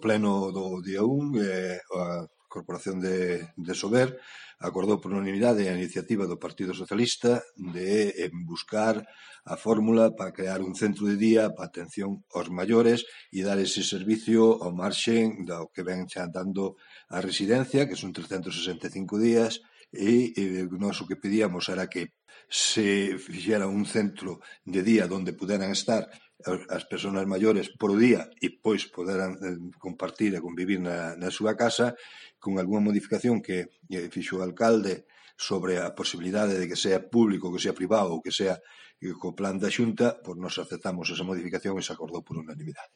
Pleno do día 1, a Corporación de Sober acordou por unanimidade a iniciativa do Partido Socialista de buscar a fórmula para crear un centro de día para atención aos maiores e dar ese servicio ao marxen do que ven xa dando a residencia, que son 365 días, e nós o que pedíamos era que se fixera un centro de día onde puderan estar as persoas maiores por día e pois poderan compartir e convivir na súa casa, con algunha modificación que fixo o alcalde sobre a posibilidade de que sea público, que sea privado ou que sea co plan da Xunta, pois nos aceptamos esa modificación e se acordou por unanimidade.